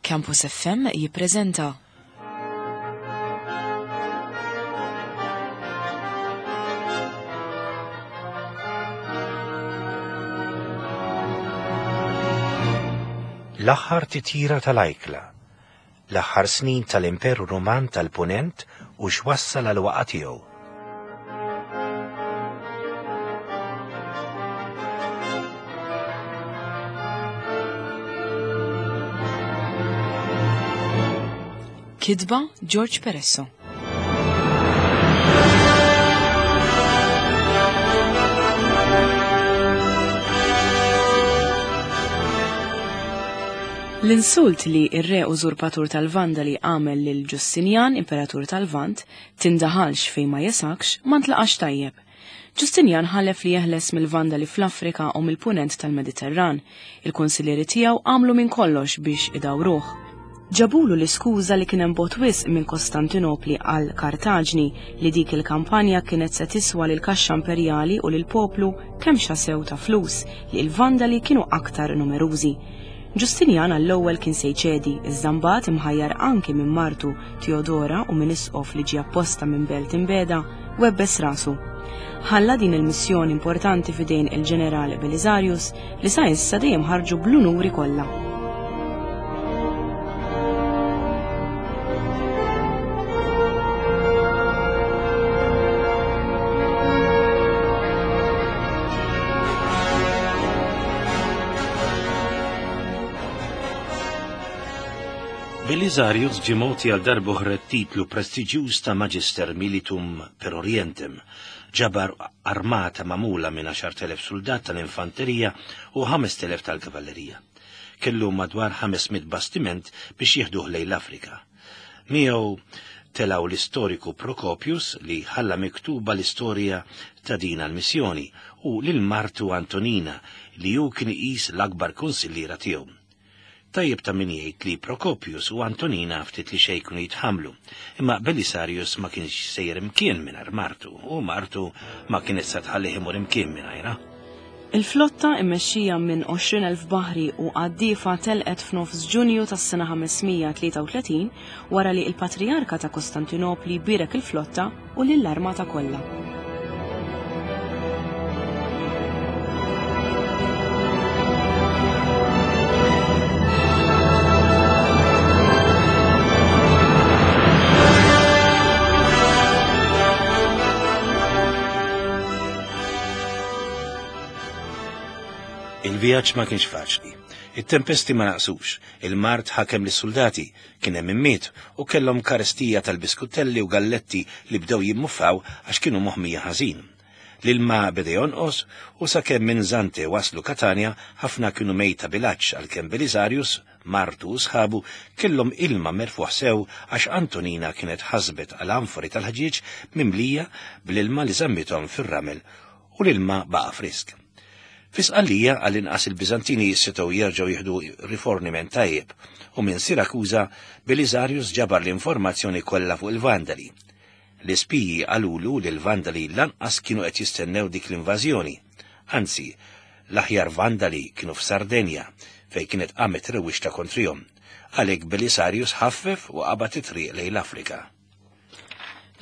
Campus FM jippreżenta. L-aħħar titjira tal-ajkla, l-aħħar snin tal-Imperu Ruman tal-Punent u x'wassal għal waqa' tiegħu. Kitba George Peresso. L-insult li ir-re użurpatur tal-Vandali għamel lil Ġustinjan, imperatur tal-Vant, tindaħalx fejn ma jesakx, ma ntlaqax tajjeb. Ġustinjan ħalef li jeħles mill-Vandali fl-Afrika u mill-punent tal-Mediterran. Il-kunsillieri tiegħu għamlu minn kollox biex idawruh. Ġabulu l-iskuża li kien hemm bogħod wisq minn Kostantinopli għal Kartaġni li dik il-kampanja kienet se tiswa lill-kaxxa imperjali u lill-poplu kemm xasew ta' flus li l-Vandali kienu aktar numerużi. Ġustinjan għall-ewwel kien se jċedi, iżda mbagħad imħajjar anki minn martu Teodora u minn isqof li ġie apposta minn belt imbegħda, webbes rasu. Ħalla din il-missjoni importanti f'idejn il-ġeneral Belisarius li sa issa dejjem ħarġu bl-unuri kollha. Belisarius ġie mogħti għal darb'oħra t-titlu prestiġjuż ta' Magister Militum per Orientem. Ġabar armata magħmula minn 10,000 suldat tal-infanterija u 5,000 tal-kavallerija. Kellu madwar 500 bastiment biex jieħduh lejn l-Afrika. Miegħu telgħu l-istoriku Procopius li ħalla miktuba l-istorja ta' din għall-missjoni u lil martu Antonina li hu kien iqis l-akbar kunsilliera tiegħu. Tajjeb ta' min jgħid li Procopius u Antonina ftit li xejn kienu jitħammlu, imma Belisarius ma kienx sejjer imkien mingħajr martu u martu ma kienet se tħallih imur imkien mingħajrha. Il-flotta immexxija minn 20,000 baħri u qaddiefa telqet f'nofs Ġunju tas-sena 533 wara li l-Patrijarka ta' Kostantinopli bierek il-flotta u lill-armata kollha. Il-vjaġġ ma kienx faċli. It-tempesti ma naqsux, il-mard ħakem lis-suldati, kien hemm immiet u kellhom karestija tal-biskuttelli u galletti li bdew jimmuffaw għax kienu moħmija ħażin. L-ilma beda jonqos u sakemm minn Zante waslu Katanja ħafna kienu mejta bil-għatx għalkemm Belisarius, martu u sħabu kellhom ilma merfugħ sew għax Antonina kienet ħasbet għal anfori tal-ħġieġ mimlija bl-ilma li żammithom fir-ramel u l-ilma baqa' frisk. Fi Sqallija għall-inqas il-Biżantini setgħu jerġgħu jieħdu riforniment tajjeb u minn Sirakuża Belisarius ġabar l-informazzjoni kollha fuq il-Vandali. L-ispiji qalulu li l-Vandali lanqas kienu qed jistennew dik l-invażjoni. Anzi, l-aħjar Vandali kienu f'Sardenja, fejn kienet qamet rewwixta kontrihom. Għalhekk Belisarius ħaffef u qabad it-triq lejn l-Afrika.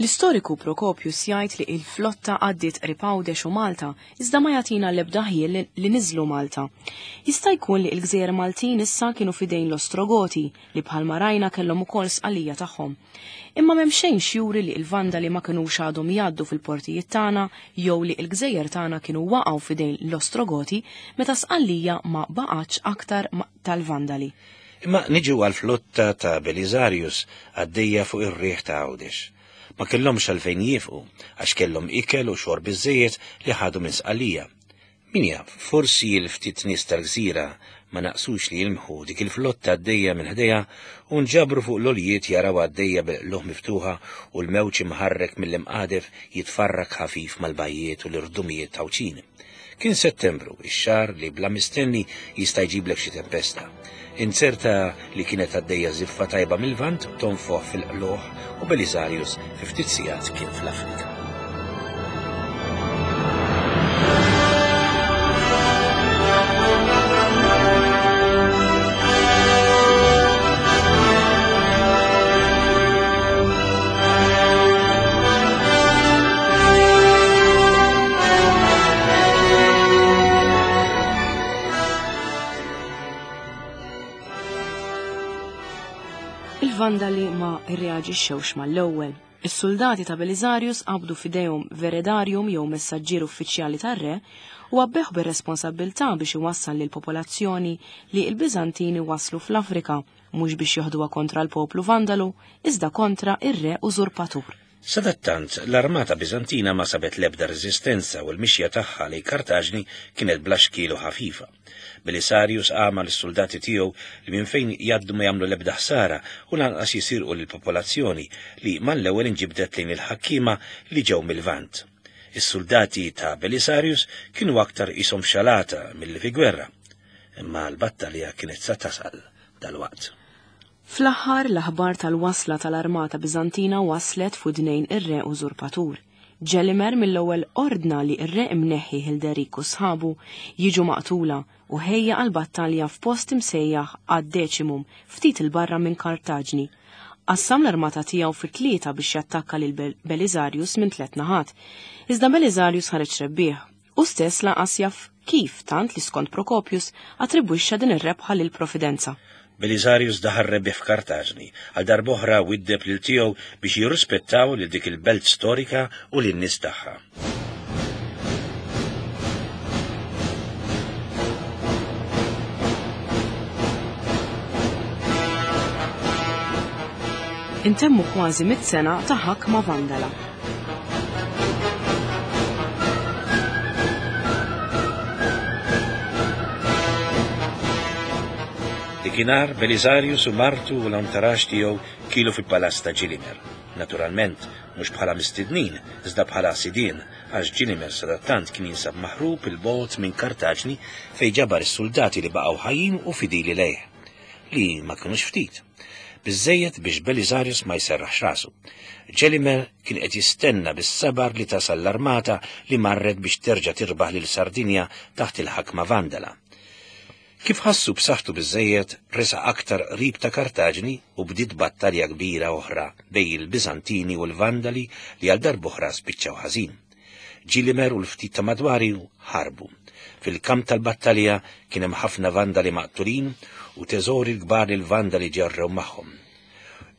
L-istoriku Procopius jgħid li il-flotta għaddiet qrib Għawdex u Malta, iżda ma jagħtina l-ebda ħjiel li niżlu Malta. Jista' jkun li l-gżejjer Maltin issa kienu f'idejn l-Ostrogoti, li bħalma rajna kellhom ukoll sqalija tagħhom. Imma m'hemm xejn x'juri li l-Vandali ma kinux għadhom jgħaddu fil-portijiet tagħna jew li l-gżejjer tagħna kienu waqgħu f'idejn l-Ostrogoti meta Sqallija ma baqgħetx aktar tal-Vandali. Imma niġu għall-flotta ta' Belisarius għaddejja fuq ir-riħ ta' Għawdex. Ma kellhomx għalfejn jieqfu għax kellhom ikel u xorb biżżejjed li ħadu minn Sqallija. Min jaf, forsi l-ftit nies tal-gżira ma naqsux li jilmħu dik il-flotta għaddejja minn ħdejha u nġabru fuq l-għoljiet jarawha għaddejja bil-qlugħ miftuħa u l-mewġ imħarrek mill-imqadef jitfarrak ħafif mal-bajjiet u l-irdumijiet Għawdxin. Kien Settembru, ix-xahar li bla mistenni jista' jġiblek xi tempesta. Inzerta li kienet għaddejja żiffa tajba mil-Lvant tonfoħ fil-qlugħ u Belisarius fi ftit sigħat kien fl-Afrika. Il-Vandali ma rreaġixxewx mal-ewwel. Is-suldati ta' Belisarius qabdu f'idejhom veredarium jew messaġġier uffiċjali tar-re u għabbeħ bir-responsabbiltà biex iwassal lill-popolazzjoni li l-Biżantini waslu fl-Afrika mhux biex joħduha kontra l-poplu Vandalu, iżda kontra ir-re użurpatur. Sadattant, l-armata Biżantina ma sabet l-ebda reżistenza u l-mixja tagħha lejn Kartaġni kienet bla xkiel u ħafifa. Belisarius għama lis-suldati tiegħu li minn fejn jgħaddu ma jagħmlu l-ebda ħsara u lanqas jisirqu lill-popolazzjoni li mal-ewwel inġibdet lejn il-ħakkiema li ġew mil-Lvant. Is-suldati ta' Belisarius kienu aktar qishom f'xalata milli fi gwerra. Imma l-battalja kienet sa tasal dalwaqt. Fl-aħħar, l-aħbar tal-wasla tal-armata Biżantina waslet f'widnejn ir-re użurpatur. Ġelimer mill-ewwel ordna li r-re imneħħi Hilderik u sħabu jiġu maqtula u ħejja għal battalja f'post imsejjaħ Ad Decimum ftit 'il barra minn Kartaġni. Qassam l-armata tiegħu fi tlieta biex jattakka lil Belisarius minn tliet naħat. Iżda Belisarius ħareġ rebbieħ. Hu stess lanqas jaf kif, tant li skont Procopius attribwixxa din ir-rebħa lill-Providenza. Belisarius daħal rebbieħ f'Kartaġni, għal darb'oħra widdeb lil tiegħu biex jirrispettaw lil dik il-belt storika u lin-nies tagħha. Intemmu kważi mitt sena ta' ħakma Vandala. Dikinhar Belisarius u martu u l-antarax tiegħu kielu fil-palazz ta' Ġilimer. Naturalment, mhux bħala mistednin, iżda bħala sidien, għax Ġilimer sadattant kien jinsab maħrub 'il bogħod minn Kartaġni fejn ġabar is-suldati li baqgħu ħajjin u fidili lejh, li ma kinux ftit. Biżżejjed biex Belisarius ma jserraħx rasu. Ġelimer kien qed jistenna bis-sabar li tasal l-armata li marret biex terġa' tirbaħ lil Sardinja taħt il-ħakma Vandala. Kif ħassu b'saħħtu biżżejjed, resaq aktar qrib ta' Kartaġni u bdiet battalja kbira oħra bejn il-Biżantini u l-Vandali li għal darb'oħra spiċċaw ħażin. Ġilimer u l-ftit ta' madwari ħarbu. Fil-kamp tal-battalja kien hemm ħafna Vandali maqtulin u teżori l-kbar li l-Vandali ġarrew magħhom.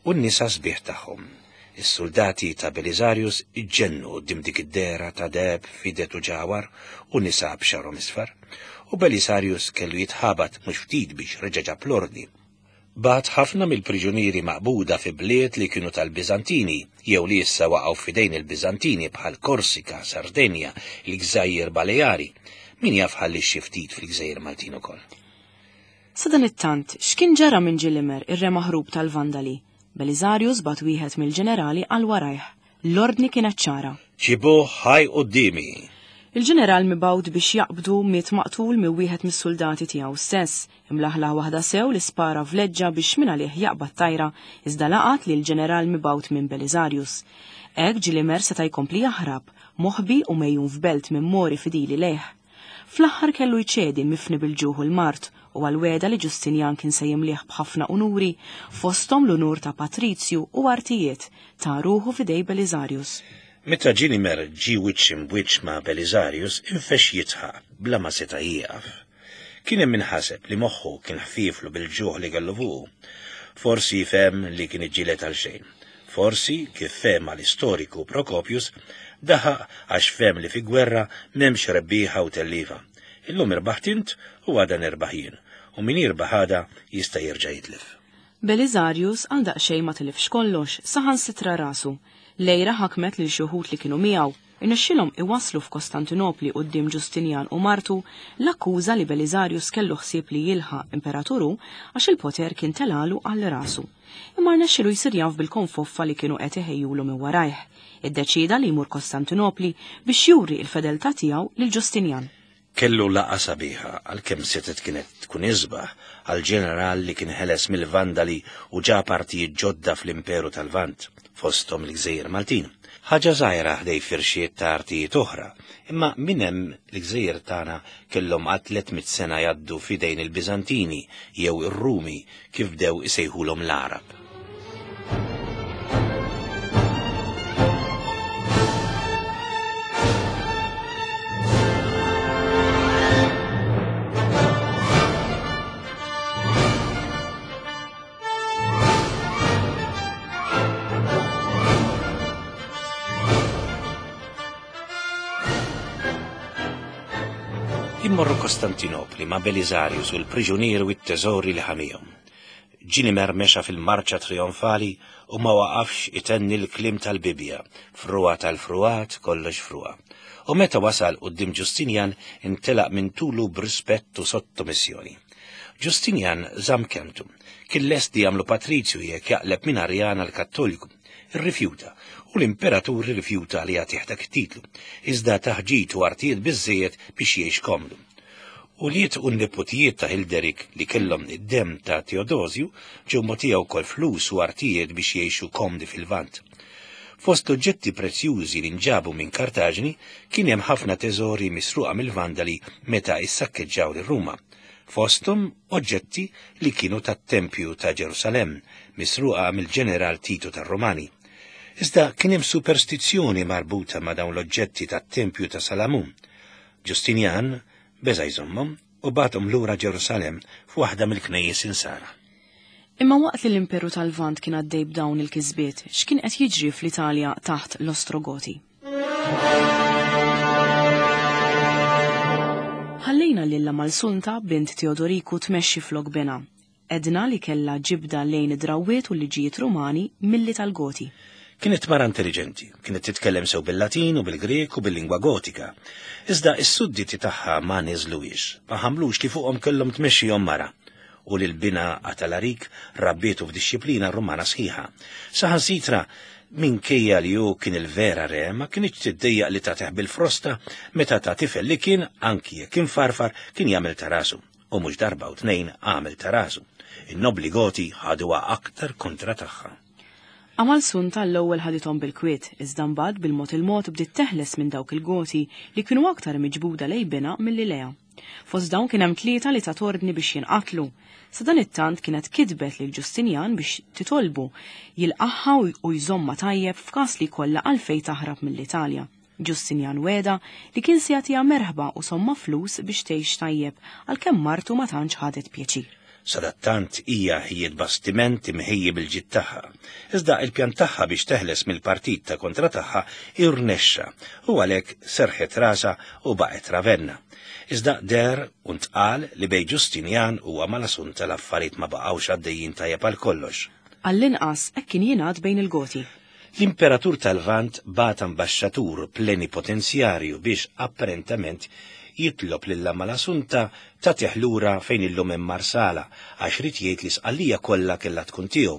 U n-nisa sbieħ tagħhom. Is-suldati ta' Belisarius iġġennu quddiem dik id-dehra ta' deheb, fidet u ġawhar u nisa b'xagħarhom isfar. U Belisarius kellu jitħabat mhux ftit biex reġa' ġab l-ordni. Bagħat ħafna mill-priġunieri maqbuda fi bliet li kienu tal-Biżantini jew li issa waqgħu f'idejn il-Biżantini bħal Korsika, Sardenja, il-Gżajjer Baleari. Min jaf ħalliex xi ftit fil-Gżejjer Maltin ukoll. Sadanittant, x'kien ġara minn Ġilimer, ir-re maħrub tal-Vandali? Belisarius bagħat wieħed mill-ġenerali għal warajh. L-ordni kienet ċara. Ġibuh ħaj quddiemi! Il-ġeneral mibgħut biex jaqbdu miet maqtul minn wieħed mis-suldati tiegħu stess. Imlaħlaħ waħda sew li spara vleġġa biex mingħalih jaqbad tajra, iżda laqat lill-ġeneral mibgħut minn Belisarius. Hekk Ġilimer seta' jkompli jaħrab, moħbi u megħjun f'belt minn Mori fidili lejh. Fl-aħħar kellu jċedi mifni bil-ġuħ u l-mard u għall-wegħda li Ġustinjan kien se jimlieh b'ħafna unuri, fosthom l-unur ta' patrizju u artijiet, ta ruħu f'idej Belisarius. Meta Ġilimer ġie wiċċ imb'wiċċ ma' Belisarius infexx jidħaq bla ma seta' jieqaf. Kien hemm min ħaseb li moħħu kien ħfieflu bil-ġuħ li kellu fuqu. Forsi fehem li kien iġġieled għalxejn. Forsi, kif fehmha l-istoriku Procopius, daħaq għax fehem li fi gwerra m'hemmx rebbieħa u telliefa. Illum irbaħt int u għada nirbaħ jien, u min jirbaħ għada jista' jerġa' jitlef. Belisarius għal daqsxejn ma tilifx kollox, saħansitra rasu. L-għira ħakmet lil xi wħud li kienu miegħu. Irnexxielhom iwasslu f'Kostantinopli quddiem Ġustinjan u martu l-akkuża li Belisarius kellu ħsieb li jilħaq imperatur hu għax il-poter kien telgħalu għal rasu. Imma rnexxielu jsir jaf bil-konfoffa li kienu qed iħejjulu minn warajh. Iddeċieda li jmur Kostantinopli biex juri l-fedeltà tiegħu lil Ġustinjan. Kellu laqgħa sabiħa, għalkemm setgħet kienet tkun isbaħ, għall-ġeneral li kien ħeles mill-Vandali u ġab artijiet ġodda fl-Imperu tal-Lvant, fosthom il-gżejjer Maltin. Ħaġa żgħira ħdej firxiet ta' artijiet oħra, imma minn hemm l-gżejjer tagħna kellhom għal 300 sena jgħaddu f'idejn il-Biżantini jew ir-Rumi kif bdew isejħulhom l-Għarab. Immorru Kostantinopli ma' Belisarius u l-priġunieri u t-teżori li ħamihom. Ġilimer mexa fil-marċa trionfali u ma waqafx itenni l-kliem tal-Bibbja, frugħa tal-frugħat, kollox frugħa. U meta wasal quddiem Ġustinjan intelaq minn tulu b'rispett u sottomissjoni. Ġustinjan żamm kelmtu. Kien lest li jagħmlu patrizju jekk jaqleb minn Arjan għal Kattoliku. Irrifjuta, u l-imperatur irrifjuta li jagħtih dak it-titlu, iżda tah ġid u artijiet biżżejjed biex jgħix komdu. Ulied u n-neputijiet ta' Hilderik li kellhom id-demm ta' Teodosju ġew mogħtija wkoll flus u artijiet biex jgħixu komdi fil-Lvant. Fost l-oġġetti prezzjużi li nġabu minn Kartaġni kien hemm ħafna teżori misruqa mill-Vandali meta issakkeġġaw lil Ruma, fosthom oġġetti li kienu tat-Tempju ta' Ġerusalemm, misruqa mill-ġeneral Titu tar-Rumani. Iżda kien hemm superstizzjoni marbuta ma' dawn l-oġġetti tat-Tempju ta' Salamun. Ġustinjan beża' jżommhom u bagħathom lura Ġerusalemm f'waħda mill-knejjes Insara. Imma waqt li l-Imperu tal-Lvant kien għaddej b'dawn il-kisbiet, x'kien qed jiġri fl-Italja taħt l-Ostrogoti? Ħallejna lil Amalsunta, bint Teodoriku, tmexxi flok binha. Għedna li kellha ġibda lejn id-drawwiet u l-liġijiet Rumani milli tal-Goti. Kienet mara intelliġenti, kienet titkellem sew bil-Latin u bil-Grieg u bil-lingwa Gotika. Iżda s-sudditi tagħha ma niżluhiex, ma ħamlux li fuqhom kellhom tmexxihom mara. U lil binha Atalarik rabbietu f'dixxiplina Rumana sħiħa. Saħansitra, minkejja li hu kien il-vera re, ma kinitx tiddejjaq li tagħtih bil-frosta meta ta' tifel li kien, anki jekk imfarfar, kien jagħmel ta' rasu. U mhux darba u tnejn għamel ta' rasu. In-nobbli Goti ħaduha aktar kontra tagħha. Amalsunta għall-ewwel ħadithom bil-kwiet, iżda mbagħad bil-mod il-mod bdiet teħles minn dawk il-Goti li kienu aktar miġbuda lejn binha milli lejha. Fost dawn kien hemm tlieta li tat ordni biex jinqatlu. Sadanittant kienet kitbet lil Ġustinjan biex titolbu jilqagħha u jżommha tajjeb f'każ li jkollha għalfejn taħrab mill-Italja. Ġustinjan wegħda li kien se jagħtiha merħba u somma flus biex tgħix tajjeb, għalkemm martu ma tantx ħadet pjaċir. Sadattant hija ħejjiet bastiment imħejji bil-ġid tagħha. Iżda il-pjan tagħha biex teħles mill-partit ta' kontra tagħha irnexxa u għalhekk serrħet rasha u baqgħet Ravenna. Iżda deher u ntqal li bejn Ġustinjan u Amalasunta l-affarijiet ma baqgħux għaddejjin tajjeb għal kollox. Għall-inqas hekk kien jingħad bejn il-Goti. L-Imperatur tal-Lvant bagħat ambaxxatur plenipotenzjarju biex apparentament jitlob lil Amalasunta tagħtih lura fejn illum hemm Marsala għax ried jgħid li Sqallija kollha kellha tkun tiegħu.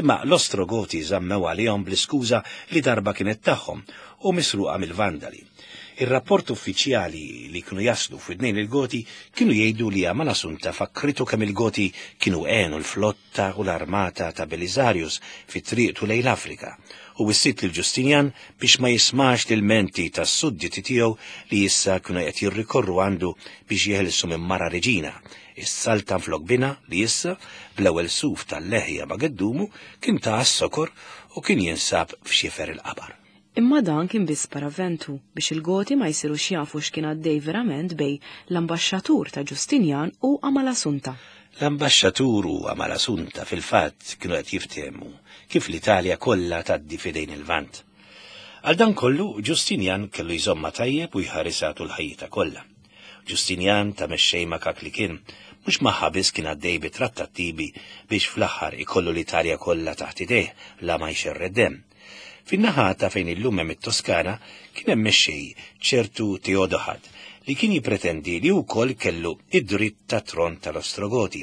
Imma l-Ostrogoti żammew għalihom bl-iskuża li darba kienet tagħhom u misruqa mill-Vandali. Ir-rapport uffiċjali li kienu jaslu f'widnejn il-Goti kienu jgħidu li Amalasunta fakkritu kemm il-Goti kienu għenu l-flotta u l-armata ta' Belisarius fi triqtu lejn l-Afrika u wissiet lil Ġustinjan biex ma jismax l-ilmenti tas-sudditi tiegħu li issa kienu qed jirrikorru għandu biex jeħilsu minn mara reġina, is-saltan flok binha li issa, bl-ewwel suf tal-leħja ma' geddumu, kien ta għas-sokor u kien jinsab f'xifer il-qabar. Imma dan kien biss paraventu biex il-Goti ma jsirux jafu x'kien għaddej verament bejn l-ambaxxatur ta' Ġustinjan u Amalasunta. L-ambaxxatur u Amalasunta fil-fatt kienu qed jiftehmu kif l-Italja kollha tgħaddi f'idejn il-Lvant. Għal dan kollu, Ġustinjan kellu jżommha tajjeb u jħarisha tul ħajjitha kollha. Ġustinjan ta' mexxej makak li kien, mhux magħha biss kien għaddej bi trattattivi biex fl-aħħar ikollu l-Italja kollha taħt idejh la ma jxerred demm. Fin-naħa ta' fejn illum hemm it-Toskana kien hemm mexxej, ċertu Teodohad, li kien jippretendi li hu wkoll kellu id-dritt tat-tron tal-Ostrogoti.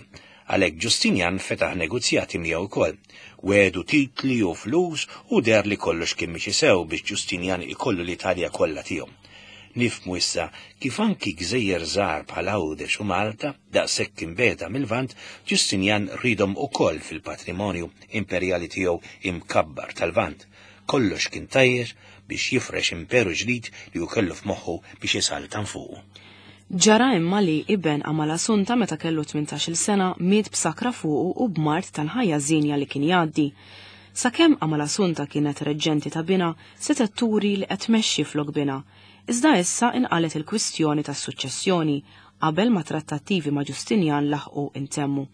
Għalhekk Ġustinjan fetaħ negozjati miegħu wkoll. Wegħdu titli u flus u deher li kollox kien miexi sew biex Ġustinjan ikollu l-Italja kollha tiegħu. Nifhmu issa kif anki gżejjer żgħar bħal Għawdex u Malta, daqshekk imbiegħda mil-Lvant, Ġustinjan riedhom ukoll fil-patrimonju imperjali tiegħu imkabbar tal-Lvant. Kollox kien tajjeb biex jifrex imperu ġdid li hu kellu f'moħħu biex isaltan fuqu. Ġara imma li iben Amalasunta meta kellu 18-il sena miet b'sakra fuqu u b'mard tal-ħajja żienja li kien jgħaddi. Sakemm Amalasunta kienet reġġenti ta' binha, setgħet turi li qed tmexxi flok binha. Iżda issa inqalgħet il-kwistjoni tas-suċċessjoni qabel ma trattattivi ma' Ġustinjan laħqu intemmu.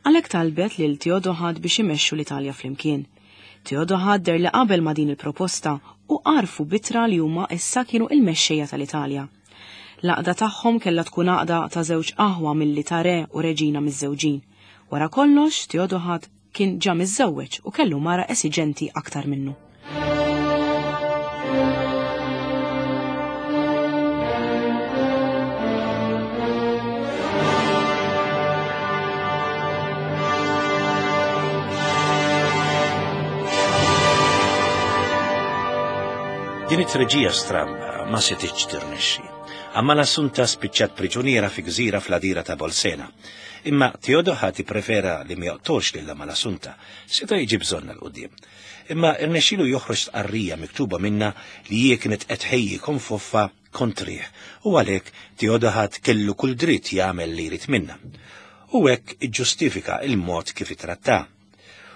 Għalhekk talbet lil Teodohad biex imexxu l-Italja flimkien. Teodohad deher li qabel ma' din il-proposta u għarfu b'ittra li huma issa kienu il-mexxejja tal-Italja. L-għaqda tagħhom kellha tkun għaqda ta' żewġ aħwa milli ta' re u reġina miżżewġin. Wara kollox, Teodohad kien ġa miżżewweġ u kellu mara esiġenti aktar minnu. Din it-treġija stramba ma setgħetx tirnexxi. Amalassunta spiċċat priġuniera fi gżira fl-għadira ta' Bolsena. Imma Teodoħat ipprefera li ma joqtolx lil Amalassunta, seta' jiġi bżonnha 'l quddiem. Imma rnexxielu joħroġ stqarrija miktuba minnha li hi kienet qed tħejji konfoffa kontrih u għalhekk Teodoħat kellu kull dritt jagħmel li jrid minnha. U hekk iġġustifika l-mod kif ittrattha.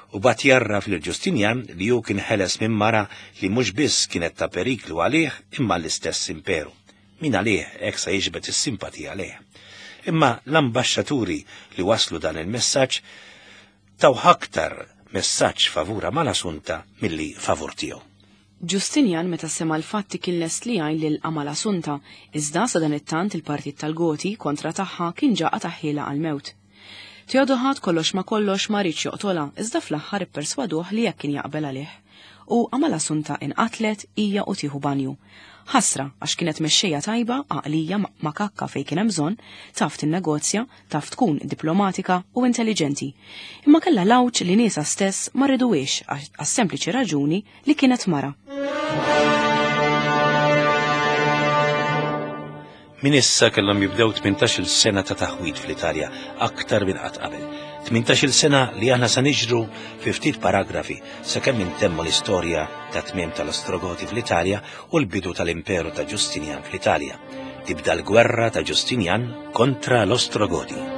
U bagħat jgħarraf lil Ġustinjan li hu kien ħeles minn mara li mhux biss kienet ta' periklu għalih imma għall-istess imperu. Min għalih hekk sa jiġbed is-simpatija lejh. Imma l-ambaxxaturi li wasslu dan il-messaġġ tawh aktar messaġġ favur Amalasunta milli favur tiegħu. Ġustinjan meta sema' l-fatti kien lest li jgħin lil Amalasunta, iżda sadanittant il-partit tal-Goti kontra tagħha kien ġa qatagħhielha għall-mewt. Teodoħad kollox ma' kollox ma riedx joqtolha, iżda fl-aħħar ipperswaduh li hekk kien jaqbel għalih. U Amalasunta inqatlet hija u tieħu banju. Ħasra, għax kienet mexxejja tajba, għaqlija, makakka fejn kien hemm bżonn, taf tinnegozja, taf tkun diplomatika u intelliġenti. Imma kellha l-għawġ li niesha stess ma riduhiex għas-sempliċi raġuni li kienet mara. Minn issa kellhom jibdew 18-il sena ta' taħwid fl-Italja aktar minn qatt qabel. 18-il sena li aħna sa niġru fi ftit paragrafi sakemm intemmu l-istorja ta' tmiem tal-Ostrogoti fl-Italja u l-bidu tal-Imperu ta' Ġustinjan fl-Italja. Tibda l-gwerra ta' Ġustinjan kontra l-Ostrogoti.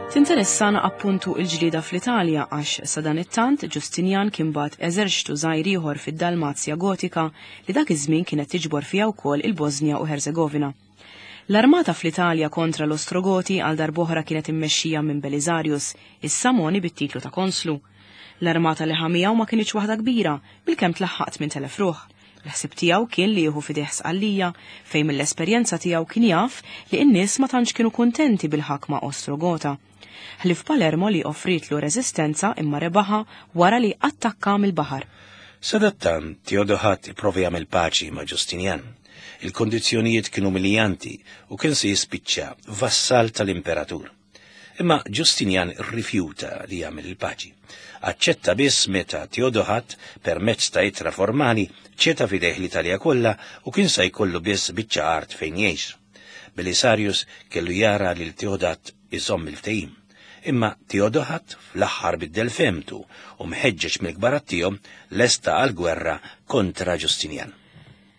Tinteressana appuntu il-ġlieda fl-Italja għax sadanittant Ġustinjan kien bagħat eżerċtu żgħir ieħor fid-Dalmazja Gotika li dak iż-żmien kienet tiġbor fiha wkoll il-Bożnja u Herzegovina. L-armata fl-Italja kontra l-Ostrogoti għal darb'oħra kienet immexxija minn Belisarius, issa mogħni bit-titlu ta' konslu. L-armata li ħa miegħu ma kinitx waħda kbira, bilkemm tlaħħaq 8,000 ruħ. Il-ħsieb tiegħu kien li jieħu f'idejh Sqallija, fejn mill-esperjenza tiegħu kien jaf li n-nies ma tantx kienu kuntenti bil-ħakma Ostrogota. Ħlief Palermo li offrietlu reżistenza imma rebaħha wara li attakka mill-baħar. Sadattant, Teodoħat ipprova jagħmel paċi ma' Ġustinjan. Il-kondizzjonijiet kienu umiljanti u kien se jispiċċa vassal tal-imperatur. Imma Ġustinjan rrifjuta li jagħmel il-paċi. Aċċetta biss meta Teodoħat, permezz ta' ittra formali, ċeta f'idejh l-Italja kollha u kien sa jkollu biss biċċa art fejn jgħix. Belisarius kellu jara lil Teodat iżomm il-ftehim. Imma Teodoħat fl-aħħar biddel fehmtu u mħeġġeġ mill-kbarat tiegħu lesta għall-gwerra kontra Ġustinjan.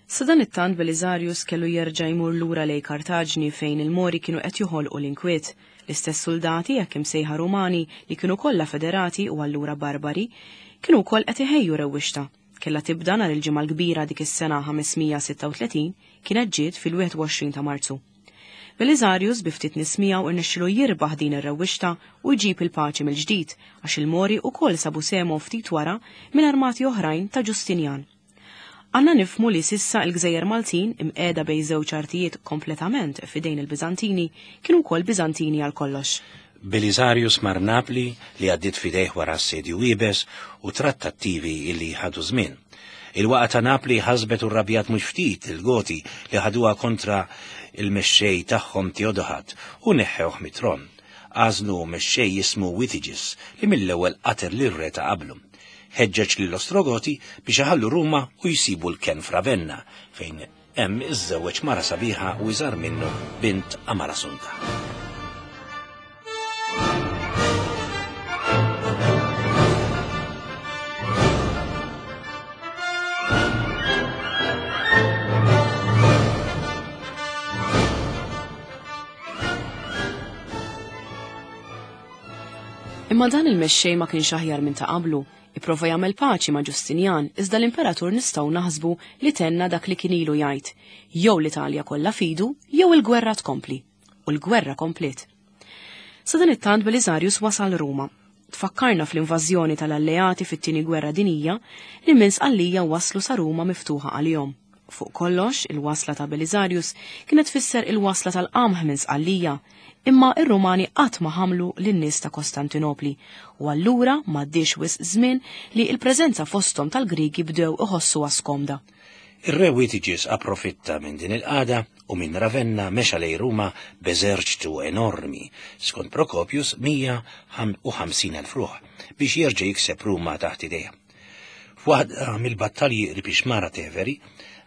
Sadanittant Belisarius kellu jerġa' jmur lura lejn Kartaġni fejn il-Mori kienu qed joħolqu l-inkwiet. L-istess suldati, hekk imsejħa Rumani, li kienu kollha federati u allura barbari, kienu wkoll qed iħejju rewwixta. Kellha tibda nhar il-Ġimgħa l-Kbira dik is-sena 536, kienet ġiet fil-21 ta' Marzu. Belisarius bi ftit nies miegħu rnexxielu jirbaħ din ir-rewwixta u jġib il-paċi mill-ġdid għax il-Mori wkoll sabu sehemhom ftit wara minn armati oħrajn ta' Ġustinjan. Għandna nifhmu li s'issa il-gżejjer Maltin, imqiegħda bejn żewġ artijiet kompletament f'idejn il-Biżantini, kienu wkoll Biżantini għal kollox. Belisarius mar Napli, li għaddiet f'idejh wara assedju iebes u trattattivi li ħadu żmien. Il-waqgħa ta' Napli ħasbet u rrabjat mhux ftit lill-Goti li ħaduha kontra l-mexxej tagħhom Teodohad u neħħewh mit-tron. Għażlu mexxej jismu Witiġis li mill-ewwel qatel lir-re ta' qablu. Ħeġġeġ lill-Ostrogoti biex iħallu Ruma u jsibu l-kenn f'Ravenna, fejn hemm iżżewweġ mara sabiħa u iżgħar minnu, bint Amalasunta. Imma dan il-mexxej ma kienx aħjar minn ta' qablu, ipprova jagħmel paċi ma' Ġustinjan, iżda l-imperatur nistgħu naħsbu li tenna dak li kien ilu jgħid, jew l-Italja kollha f'idu, jew il-gwerra tkompli. U l-gwerra kompliet. Sadanittant Belisarius wasal Ruma. Tfakkarna fl-invażjoni tal-Alleati fit-Tieni Gwerra Dinjija li minn Sqallija waslu sa Ruma miftuħa għalihom. Fuq kollox, il-wasla ta' Belisarius kienet tfisser il-wasla tal-qamħ minn Sqallija, imma ir-Rumani qatt ma ħamlu lin-nies ta' Kostantinopli u allura m'għaddiex wisq żmien li l-preżenza fosthom tal-Griegi bdew iħossuha skomda. Ir-re Witiġis approfitta minn din il-qagħda u minn Ravenna mexa lejn Ruma b'eżerċtu enormi, skont Procopius 150,000 ruħ, biex jerġa' jikseb Ruma taħt idejh. F'waħda mill-battalji qrib ix-xmara Teveri,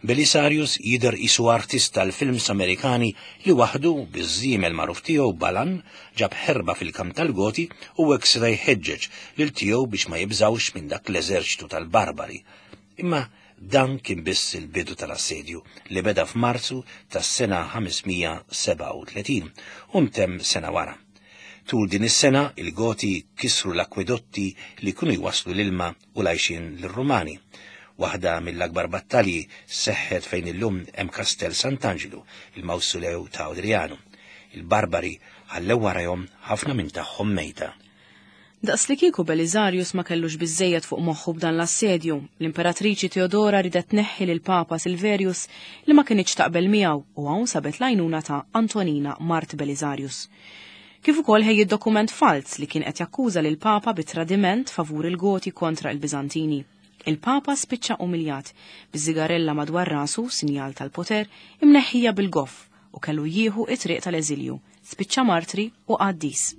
Belisarius jidher qisu artist tal-films Amerikani li waħdu, biż-żiemel magħruf tiegħu Balan, ġab ħerba fil-kamp tal-Goti u hekk seta' jħeġġeġ lil tiegħu biex ma jibżgħux minn dak l-eżerċtu tal-barbari. Imma dan kien biss il-bidu tal-assedju li beda f'Marzu tas-sena 537 u ntemm sena wara. Tul din is-sena il-Goti kisru l-akwedotti li kienu jwasslu l-ilma u l-għajxien lir-Rumani. Waħda mill-akbar battalji seħħet fejn illum hemm Castel Sant'Angelo, il-mawsulew ta' Adriano. Il-Barbari ħallew warajhom ħafna minn tagħhom mejta. Daqslikieku Belisarius ma kellux biżżejjed fuq moħħu b'dan l-assedju, l-Imperatriċi Teodora riedet tneħħi lill-Papa Silverius li ma kinitx taqbel miegħu u hawn sabet l-għajnuna ta' Antonina mart Belisarius. Kif ukoll ħejjiet dokument falz li kien qed jakkuża lill-Papa bi tradiment favur il-Goti kontra il-Biżantini. Il-Papa spiċċa umiljat, biż-żigarella madwar rasu, sinjal tal-poter, imneħħija bil-goff u kellu jieħu it-triq tal-eżilju, spiċċa martri u qaddis.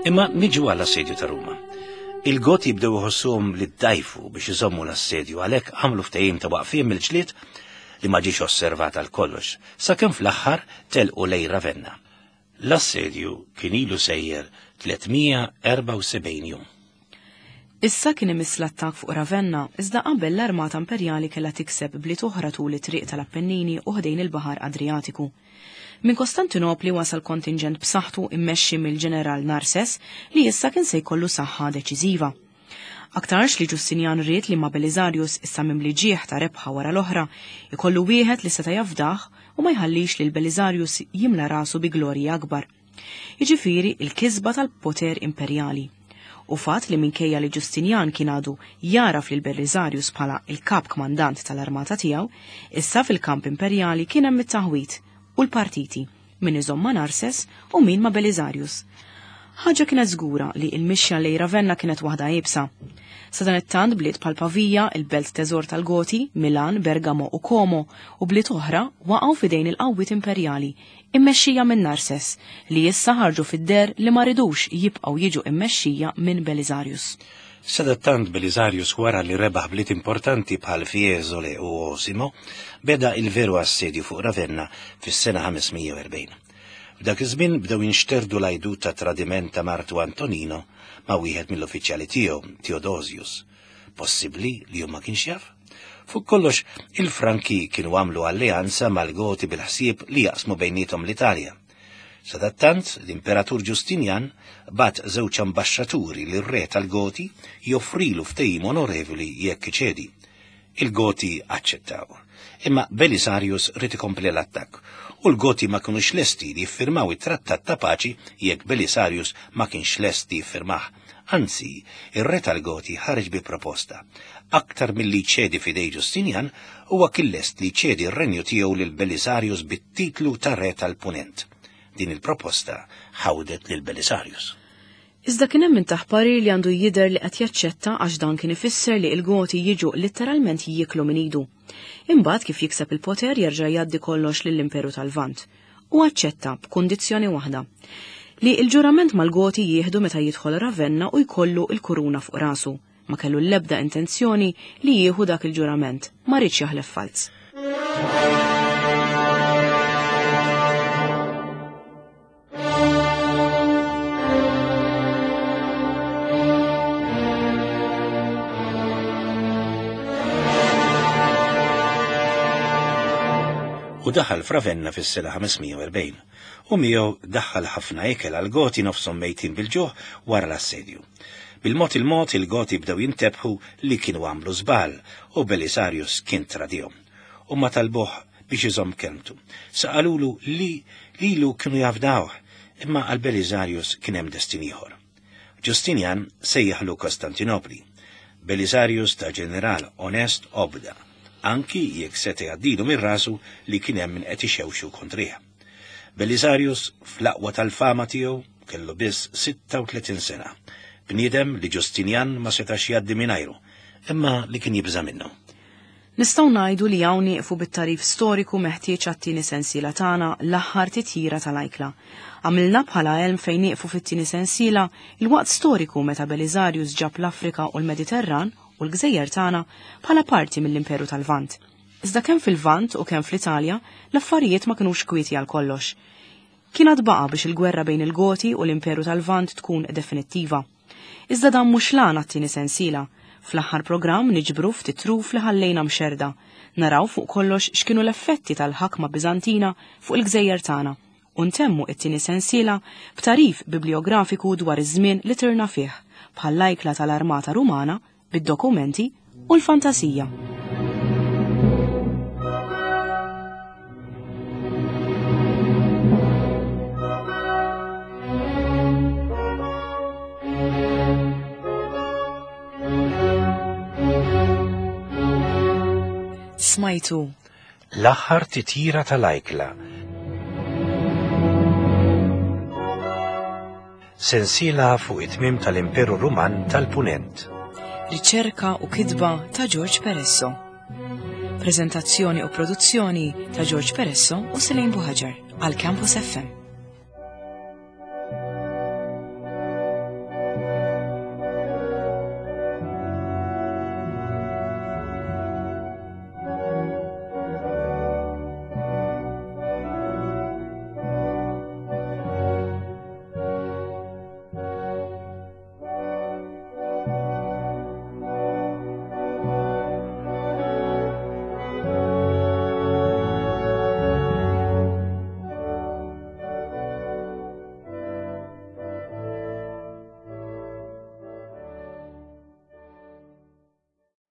Imma niġu għall assedju ta' Ruma. Il-Goti bdew iħossuhom li ddajfu biex iżommu l-assedju għalhekk għamlu ftehim ta' waqfien mill-ġlied li ma ġiex osservat għal kollox, sakemm fl-aħħar telqu lejn Ravenna. L-assedju kien ilu sejjer 374 jum. Issa kien imiss l-attakk fuq Ravenna, iżda qabel l-armata imperjali kellha tikseb bliet oħra tul it-triq tal-Appennini u ħdejn il-Baħar Adrijatiku. Minn Kostantinopli wasal kontinġent b'saħħtu immexxi mill-ġeneral Narses li issa kien se jkollu saħħa deċiżiva. Aktarx li Ġustinjan ried li ma' Belisarius issa mimli ġieħ ta' rebħa wara l-oħra, ikollu wieħed li seta' jafdah u ma jħallix lil Belisarius jimla rasu bi glorji akbar. Jiġifieri il-kisba tal-poter imperjali. U fatt li minkejja li Ġustinjan kien għadu jagħraf lil Belisarius bħala il-kap kmandant tal-armata tiegħu, issa fil-kamp imperjali kien hemm it-taħwid u l-partiti, min iżomm ma' Narses u min ma' Belisarius. Ħaġa kienet żgura li il-mixja lejn Ravenna kienet waħda iebsa. Sadanittant bliet bħal Pavia, il-belt teżor tal-Goti, Milan, Bergamo u Como u bliet oħra waqgħu f'idejn il-qawwiet imperjali, immexxija minn Narses, li issa ħarġu fid-deher li ma ridux jibqgħu jiġu immexxija minn Belisarius. Sadattant Belisarius wara li rebaħ bliet importanti bħal Fiesole u Osimo, beda il-veru assedju fuq Ravenna fis-sena 540. F'dak iż-żmien bdew jinxterdu l-għajdut ta' tradiment ta' martu Antonino ma' wieħed mill-uffiċjali tiegħu, Theodosius. Possibbli li hu ma kienx jaf? Fuq kollox, il-Franki kienu għamlu alleanza mal-Goti bil-ħsieb li jaqsmu bejniethom l-Italja. Sadattant, l-Imperatur Ġustinjan bagħat żewġ ambaxxaturi lir-re tal-Goti joffrilu ftehim onorevoli jekk iċedi. Il-Goti aċċettaw. Imma Belisarius ried ikompli l-attakk u l-Goti ma kinux lesti li jiffirmaw it-trattat ta' paċi jekk Belisarius ma kienx lest li jiffirmah. Anzi, ir-re tal-Goti ħareġ bi proposta. Aktar milli jċedi f'idej Ġustinjan, huwa kien lest li jċedi r-renju tiegħu lil Belisarius bit-titlu ta' re tal-Punent. Din il-proposta ħawdet lil Belisarius. Iżda kien hemm min tah parir li għandu jidher li qed jaċċetta għax dan kien ifisser li l-Goti jiġu litteralment jieklu minn idu. Imbagħad kif jikseb il-poter jerġa' jgħaddi kollox lill-Imperu tal-Lvant. U aċċetta b'kundizzjoni waħda. Li l-ġurament mal-Goti jieħdu meta jidħol Ravenna u jkollu l-kuruna fuq rasu. Ma kellu l-ebda intenzjoni li jieħu dak il-ġurament, ma riedx jaħlef falz. u daħal f'Ravenna fis-sena 540, u miegħu daħħal ħafna ikel għal Goti nofshom mejtin bil-ġuħ wara l-assedju. Bil-mod il-mod il-Goti bdew jintebħu li kienu għamlu żball u Belisarius kien tradihom. Huma talbuh biex iżomm kelmtu. Sa qalulu li lilu kienu jafdawh, imma għal Belisarius kien hemm destin ieħor. Ġustinjan sejjaħlu Kostantinopli. Belisarius ta' ġeneral onest obda, anki jekk seta' jgħaddilu minn rasu li kien hemm min qed ixewxu kontrih. Belisarius fl-aqwa tal-fama tiegħu kellu biss 36 sena, bniedem li Ġustinjan ma setax jgħaddi mingħajru, imma li kien jibża' minnu. Nistgħu ngħidu li hawn nieqfu bit-tagħrif storiku meħtieġ għat-tieni sensiela tagħna L-Aħħar Titjira tal-Ajkla. Għamilna bħala għelm fejn nieqfu fit-tieni sensiela il-waqt storiku meta Belisarius ġab l-Afrika u l-Mediterran u l-gżejjer tagħna bħala parti mill-Imperu tal-Lvant. Iżda kemm fil-Lvant u kemm fl-Italja l-affarijiet ma kinux kwieti għal kollox. Kien għad baqa' biex il-gwerra bejn il-Goti u l-Imperu tal-Lvant tkun definittiva. Iżda dan mhux l-għan għat-tieni sensiela. Fl-aħħar programm niġbru ftit truf li ħallejna mxerrda. Naraw fuq kollox x'kienu l-effetti tal-ħakma Biżantina fuq il-gżejjer tagħna u ntemmu t-tieni sensiela b'tagħrif bibliografiku dwar iż-żmien li tirna fih, bħall-ajkla tal-armata Rumana bid-dokumenti u l-fantasija. Smajtu. L-aħħar titjira tal-ajkla. Sensiela fuq it-tmiem tal-Imperu Ruman tal-Punent. Riċerka u kitba ta' George Peresso. Prezentazzjoni u produzzjoni ta' George Peresso u Selene Buhaġar għal Campus FM.